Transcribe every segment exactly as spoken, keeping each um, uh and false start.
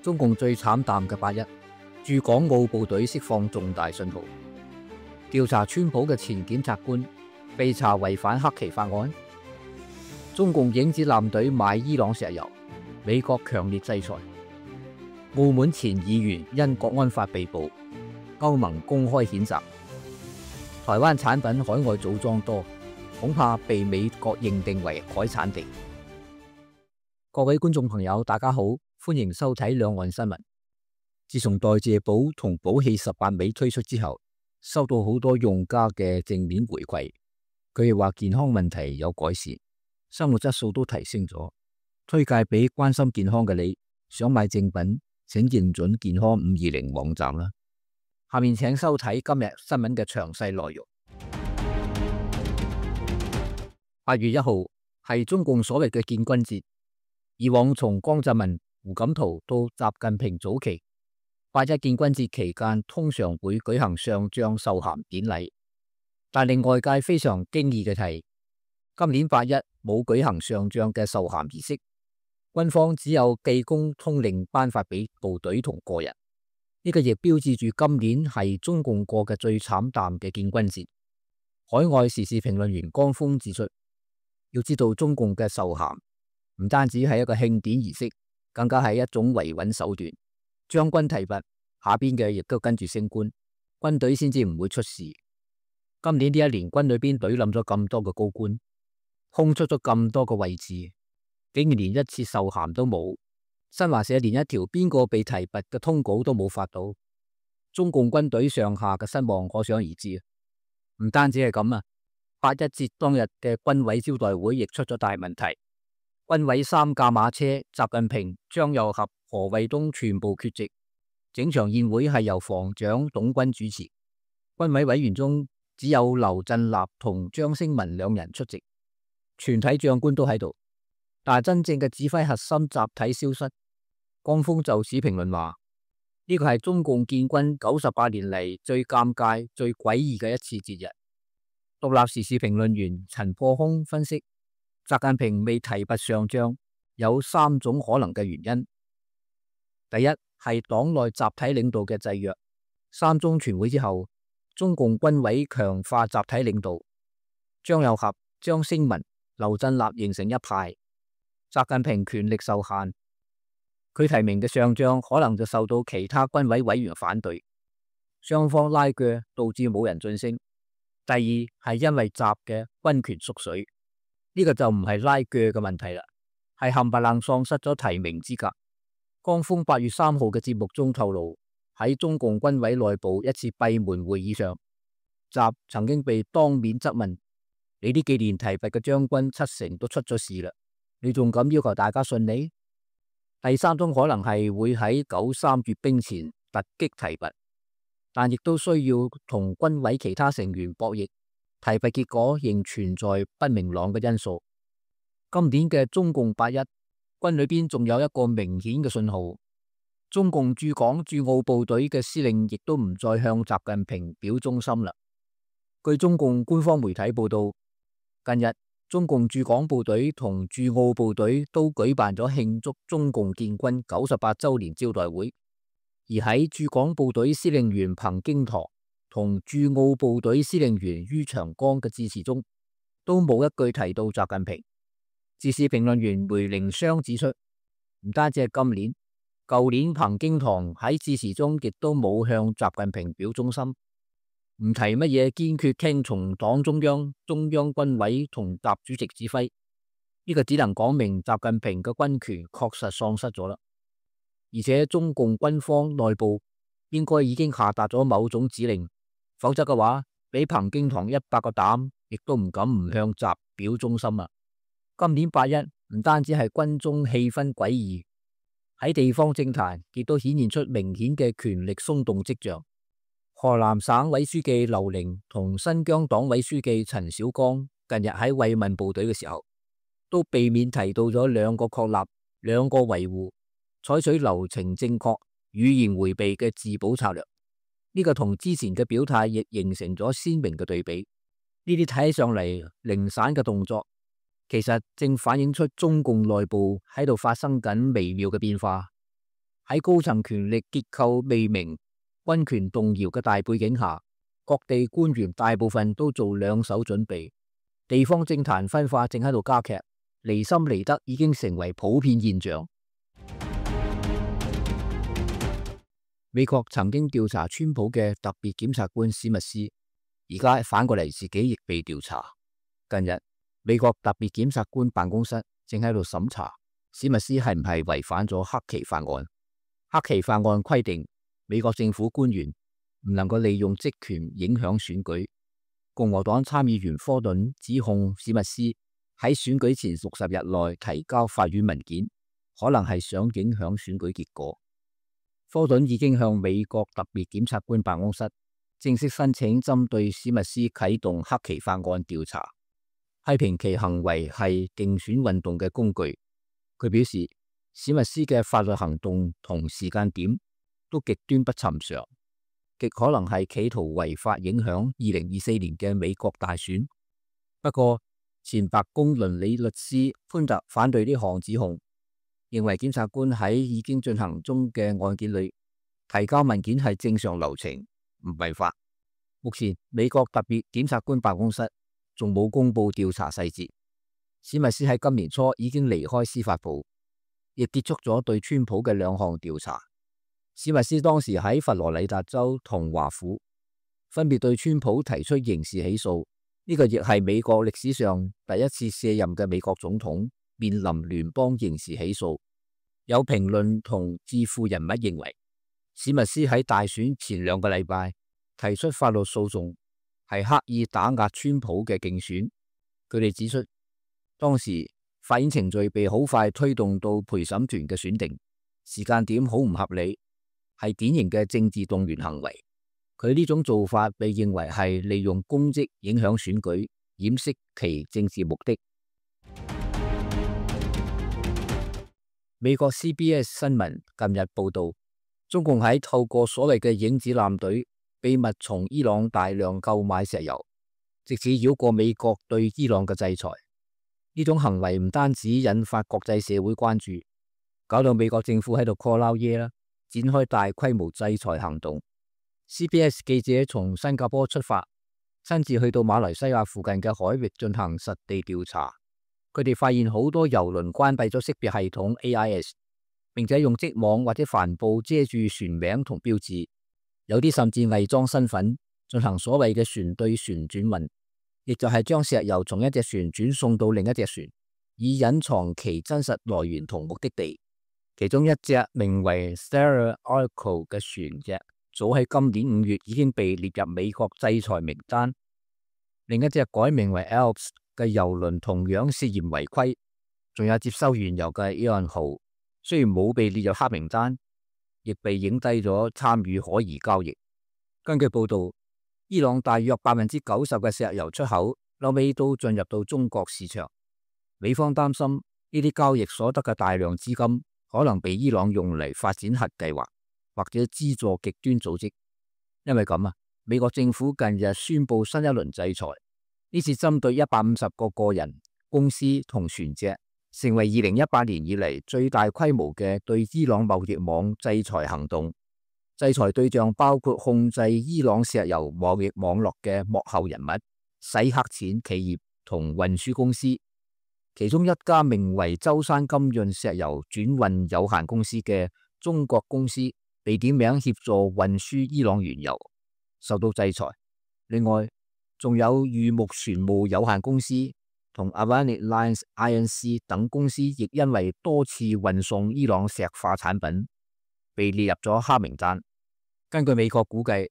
中共最慘淡嘅八一，駐港澳部隊釋放重大信號，調查川普嘅前檢察官被查違反黑旗法案，中共影子艦隊買伊朗石油，美國強烈制裁，澳門前議員因國安法被捕，歐盟公開譴責，台灣產品海外組裝多，恐怕被美國認定為海產地。各位觀眾朋友，大家好，歡迎收睇兩岸新聞。自從代謝寶同寶氣十八味推出之後，收到好多用家嘅正面回饋，佢哋話健康問題有改善，生活質素都提升咗，推介俾關心健康嘅你。想買正品，請認準健康五二零網站啦。下面請收睇今日新聞嘅詳細內容。八月一號係中共所謂嘅建軍節，以往從江澤民、胡錦濤到習近平早期，八一建軍節期間通常會舉行上將授銜典禮，但令外界非常驚異嘅係，今年八一冇舉行上將嘅授銜儀式，軍方只有記功通令頒發俾部隊同個人。呢個亦標誌住今年係中共過嘅最慘淡嘅建軍節。海外時事評論員江峰指出，要知道中共嘅授銜唔單止係一個慶典儀式，更加係一種維穩手段。將軍提拔，下邊嘅亦都跟住升官，軍隊先至唔會出事。今年呢一年軍裏邊隊冧咗咁多個高官，空出咗咁多個位置，竟然連一次授銜都冇。新華社連一條邊個被提拔嘅通稿都冇發到，中共軍隊上下嘅失望可想而知。唔單止係咁啊，八一節當日嘅軍委招待會亦出咗大問題。軍委三駕馬車，習近平、張又俠、何衛東全部缺席，整場宴會係由防長董軍主持。軍委委員中只有劉振立同張升文兩人出席，全體將官都喺度，但係真正嘅指揮核心集體消失。江峰就此評論話：呢個係中共建軍九十八年嚟最尷尬、最詭異嘅一次節日。獨立時事評論員陳破空分析，習近平未提拔上將有三種可能嘅原因。第一係黨內集體領導嘅制約。三中全會之後，中共軍委強化集體領導，張又俠、張升文、劉振立形成一派，習近平權力受限。佢提名嘅上將可能就受到其他軍委委員反對，雙方拉鋸導致冇人晉升。第二係因為習嘅軍權縮水，呢、這個就唔係拉鋸嘅問題啦，係冚唪唥喪失咗提名資格。江峰八月三號嘅節目中透露，喺中共軍委內部一次閉門會議上，習曾經被當面質問：你呢幾年提拔嘅將軍七成都出咗事啦，你仲敢要求大家信你？第三種可能係會喺九三閱兵前突擊提拔，但亦都需要同軍委其他成員博弈，提拔結果仍存在不明朗嘅因素。今年嘅中共八一，軍裏邊仲有一個明顯嘅信號，中共駐港駐澳部隊嘅司令亦都唔再向習近平表忠心啦。據中共官方媒體報道，近日中共駐港部隊同駐澳部隊都舉辦咗慶祝中共建軍九十八周年招待會，而喺駐港部隊司令員彭京堂同駐澳部隊司令員于長江嘅致辭中，都冇一句提到習近平。時事評論員梅凌湘指出，唔單止係今年，舊年彭京堂喺致辭中亦都冇向習近平表忠心。唔提乜嘢堅決聽從黨中央、中央軍委同習主席指揮，呢個只能講明習近平嘅軍權確實喪失咗啦。而且中共軍方內部應該已經下達咗某種指令，否則嘅話，俾彭京堂一百個膽，亦都唔敢唔向習表忠心啊！今年八一唔單止係軍中氣氛詭異，喺地方政壇亦都顯現出明顯嘅權力鬆動跡象。河南省委書記劉寧同新疆黨委書記陳小剛近日喺慰問部隊嘅時候，都避免提到咗兩個確立、兩個維護，採取流程正確、語言回避嘅自保策略。呢、這個同之前嘅表態亦形成咗鮮明嘅對比。呢啲睇起上嚟零散嘅動作，其實正反映出中共內部喺度發生緊微妙嘅變化。喺高層權力結構未明、軍權動搖嘅大背景下，各地官員大部分都做兩手準備，地方政壇分化正喺度加劇，離心離德已經成為普遍現象。美國曾經調查川普嘅特別檢察官史密斯，而家反過嚟自己亦被調查。近日，美國特別檢察官辦公室正喺度審查史密斯係唔係違反咗黑旗法案。黑旗法案規定，美國政府官員唔能夠利用職權影響選舉。共和黨參議員科頓指控史密斯喺選舉前六十日內提交法院文件，可能係想影響選舉結果。科頓已經向美國特別檢察官辦公室正式申請針對史密斯啟動黑旗法案調查，批評其行為係競選運動嘅工具。佢表示，史密斯嘅法律行動同時間點都極端不尋常，極可能係企圖違法影響二零二四年嘅美國大選。不過，前白宮倫理律師潘特反對呢項指控，認為檢察官喺已經進行中嘅案件裏提交文件係正常流程，唔違法。目前美國特別檢察官辦公室仲冇公布調查細節。史密斯喺今年初已經離開司法部，亦結束咗對川普嘅兩項調查。史密斯當時喺佛羅里達州同華府分別對川普提出刑事起訴，呢、這個亦係美國歷史上第一次卸任嘅美國總統面臨聯邦刑事起訴。有評論同智庫人物認為，史密斯喺大選前兩個禮拜提出法律訴訟，係刻意打壓川普嘅競選。佢哋指出，當時法院程序被好快推動到陪審團嘅選定，時間點好唔合理，係典型嘅政治動員行為。佢呢種做法被認為係利用公職影響選舉，掩飾其政治目的。美國 C B S 新聞近日報道，中共喺透過所謂嘅影子艦隊秘密從伊朗大量購買石油，藉此繞過美國對伊朗嘅制裁。呢種行為唔單止引發國際社會關注，搞到美國政府喺度 call 撈嘢啦，展開大規模制裁行動。C B S 記者從新加坡出發，親自去到馬來西亞附近嘅海域進行實地調查。佢哋發現好多郵輪關閉咗識別系統 A I S， 並且用織網或者帆布遮住船名同標誌，有啲甚至偽裝身份進行所謂嘅船對船轉運，亦就係將石油從一隻船轉送到另一隻船，以隱藏其真實來源同目的地。其中一隻名為 Stella Arco 嘅船隻，早喺今年五月已經被列入美國制裁名單。另一隻改名為 Alps 嘅郵輪同樣涉嫌違規，仲有接收原油嘅 Iran 號，雖然冇被列入黑名單，亦被影低咗參與可疑交易。根據報道，伊朗大約百分之九十嘅石油出口後尾都進入到中國市場。美方擔心呢啲交易所得嘅大量資金可能被伊朗用嚟發展核計劃或者資助極端組織。因為咁啊，美國政府近日宣布新一輪制裁。呢次針對一百五十個個人、公司同船隻，成為二零一八年以嚟最大規模嘅對伊朗貿易網制裁行動。制裁對象包括控制伊朗石油貿易網絡嘅幕後人物、洗黑錢企業同運輸公司。其中一家名為舟山金潤石油轉運有限公司嘅中國公司被點名協助運輸伊朗原油，受到制裁。另外，仲有裕木船務有限公司同 Avanade Lines I N C 等公司，亦因為多次運送伊朗石化產品，被列入咗黑名單。根據美國估計，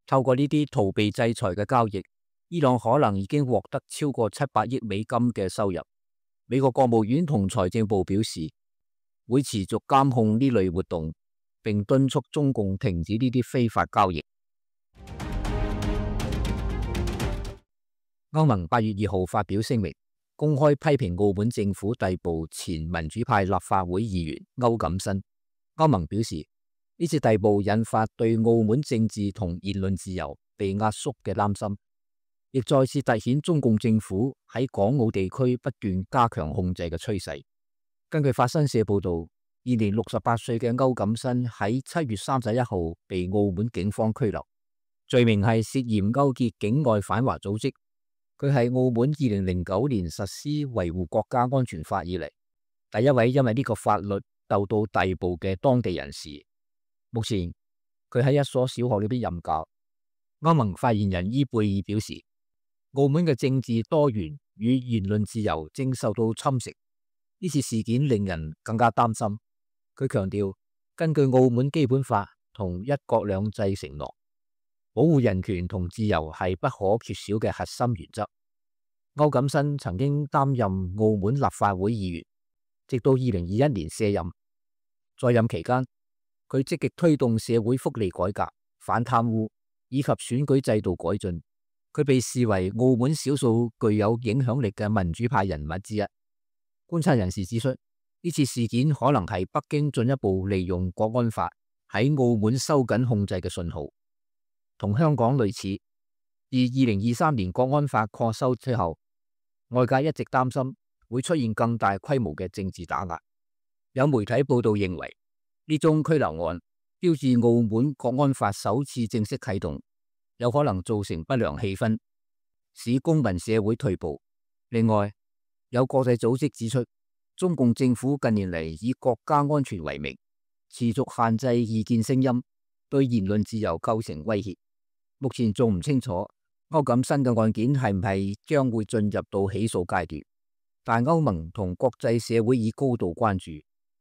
透過呢啲逃避制裁嘅交易，伊朗可能已經獲得超過七百億美金嘅收入。美國國務院同財政部表示，會持續監控呢類活動，並敦促中共停止呢啲非法交易。歐盟八月二號發表聲明，公開批評澳門政府逮捕前民主派立法會議員歐錦新。歐盟表示，呢次逮捕引發對澳門政治同言論自由被壓縮嘅擔心，亦再次凸顯中共政府喺港澳地區不斷加強控制嘅趨勢。根據法新社報道，現年六十八歲嘅歐錦新喺七月三十一號被澳門警方拘留，罪名係涉嫌勾結境外反華組織。佢係澳門二零零九年實施維護國家安全法以嚟第一位因為呢個法律鬥到逮捕嘅當地人士。目前佢喺一所小學裏邊任教。歐盟發言人伊貝爾表示，澳門嘅政治多元與言論自由正受到侵蝕。呢次事件令人更加擔心。佢強調，根據澳門基本法同一國兩制承諾，保護人權同自由係不可缺少嘅核心原則。歐錦新曾經擔任澳門立法會議員，直到二零二一年卸任。在任期間，佢積極推動社會福利改革、反貪污以及選舉制度改進。佢被視為澳門少數具有影響力嘅民主派人物之一。觀察人士指出，呢次事件可能係北京進一步利用國安法喺澳門收緊控制嘅信號，同香港類似。而二零二三年國安法擴修之後，外界一直擔心會出現更大規模嘅政治打壓。有媒體報道認為，呢宗拘留案標誌澳門國安法首次正式啟動，有可能造成不良氣氛，使公民社會退步。另外，有國際組織指出，中共政府近年嚟以國家安全為名，持續限制異見聲音，對言論自由構成威脅。目前仲唔清楚歐錦新嘅案件係唔係將會進入到起訴階段，但歐盟同國際社會已高度關注。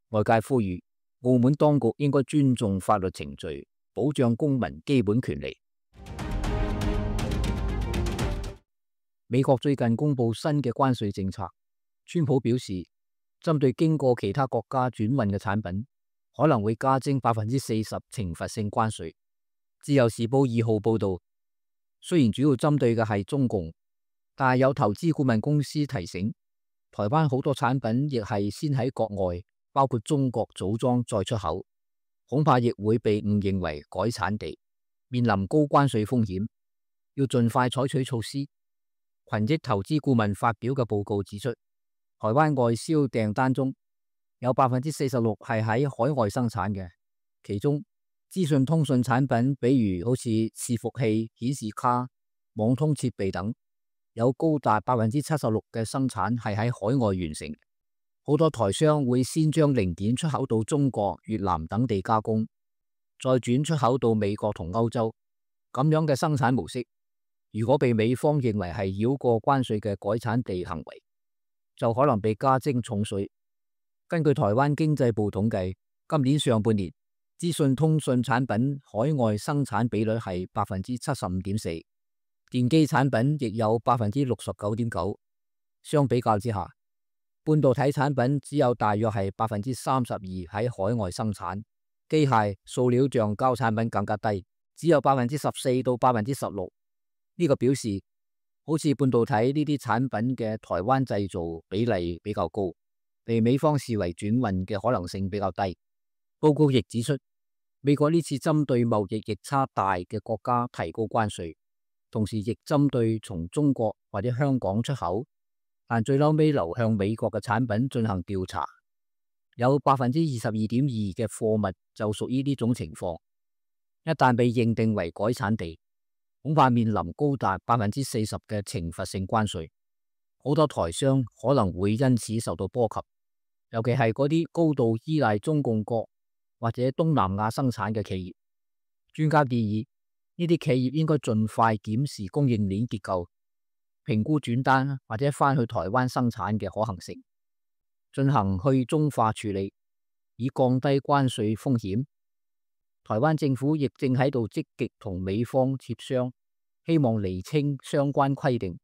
外界呼籲澳門當局應該尊重法律程序，保障公民基本權利。美國最近公布新嘅關稅政策，川普表示，針對經過其他國家轉運嘅產品，可能會加徵百分之四十懲罰性關稅。自由時報二號報道，雖然主要針對嘅係中共，但係有投資顧問公司提醒，台灣好多產品亦係先喺國外，包括中國組裝再出口，恐怕亦會被誤認為改產地，面臨高關稅風險，要盡快採取措施。群益投資顧問發表嘅報告指出，台灣外銷訂單中有百分之四十六係喺海外生產嘅，其中資訊通訊產品，比如好似伺服器、顯示卡、網通設備等，有高達百分之七十六嘅生產係喺海外完成。好多台商會先將零件出口到中國、越南等地加工，再轉出口到美國同歐洲。咁樣嘅生產模式，如果被美方認為係繞過關稅嘅改產地行為，就可能被加徵重稅。根據台灣經濟部統計，今年上半年資訊通訊產品海外生產比率係百分之七十五點四，電機產品亦有百分之六十九點九。相比較之下，半導體產品只有大約係百分之三十二喺海外生產，機械、塑料橡膠產品更加低，只有百分之十四到百分之十六。呢個表示，好似半導體呢啲產品嘅台灣製造比例比較高，被美方視為轉運嘅可能性比較低。報告亦指出，美國呢次針對貿易逆差大嘅國家提高關稅，同時亦針對從中國或者香港出口，但最後尾流向美國嘅產品進行調查，有百分之二十二點二嘅貨物就屬於呢種情況。一旦被認定為改產地，恐怕面臨高達百分之四十嘅懲罰性關稅，好多台商可能會因此受到波及，尤其係嗰啲高度依賴中共國或者東南亞生產嘅企業。專家建議呢啲企業應該盡快檢視供應鏈結構，評估轉單或者返去台灣生產嘅可行性，進行去中化處理，以降低關稅風險。台灣政府亦正喺度積極同美方協商，希望釐清相關規定，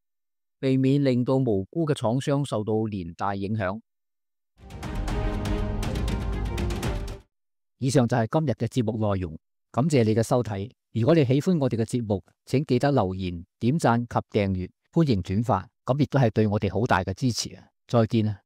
避免令到無辜嘅廠商受到連帶影響。以上就係今日嘅節目內容，感謝你嘅收睇。如果你喜歡我哋嘅節目，請記得留言、點讚及訂閱，歡迎轉發，咁亦都係對我哋好大嘅支持啊！再見啊！